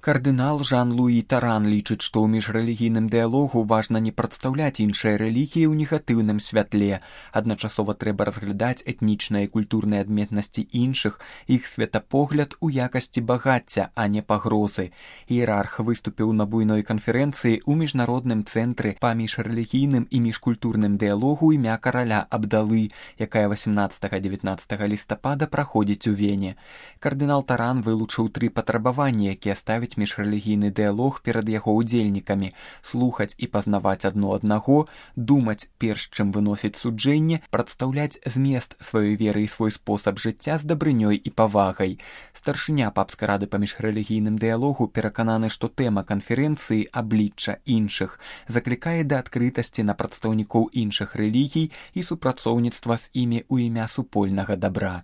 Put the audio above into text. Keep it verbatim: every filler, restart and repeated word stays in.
Кардынал Жан-Луі Таран лічыць, што ў міжрэлігійным дыялогу важна не прадстаўляць іншыя рэлігіі ў негатыўным святле. Адначасова трэба разглядаць этнічныя і культурныя адметнасці іншых, іх светапогляд у якасці багацця, а не пагрозы. Іерарх выступіў на буйной канферэнцыі ў міжнародным цэнтры па міжрэлігійным і міжкультурным дыялогу імя караля Абдалы, якая васемнаццатага-дзевятнаццатага лістапада праходзіць у Вене. Кардынал Таран вылучыў тры патрабаванні, якія ставяць міжрэлігійны дыялог перад яго ўдзельнікамі: слухаць і пазнаваць адно аднаго, думаць перш чым выносіць суджэнне, прадстаўляць змест сваёй веры і свой спосаб жыцця з дабрынёй і павагай. Старшыня папскай рады па міжрэлігійным дыялогу перакананы, што тэма канферэнцыі «Аблічча іншых» заклікае да адкрытасці на прадстаўнікоў іншых рэлігій і супрацоўніцтва з імі ў імя супольнага дабра.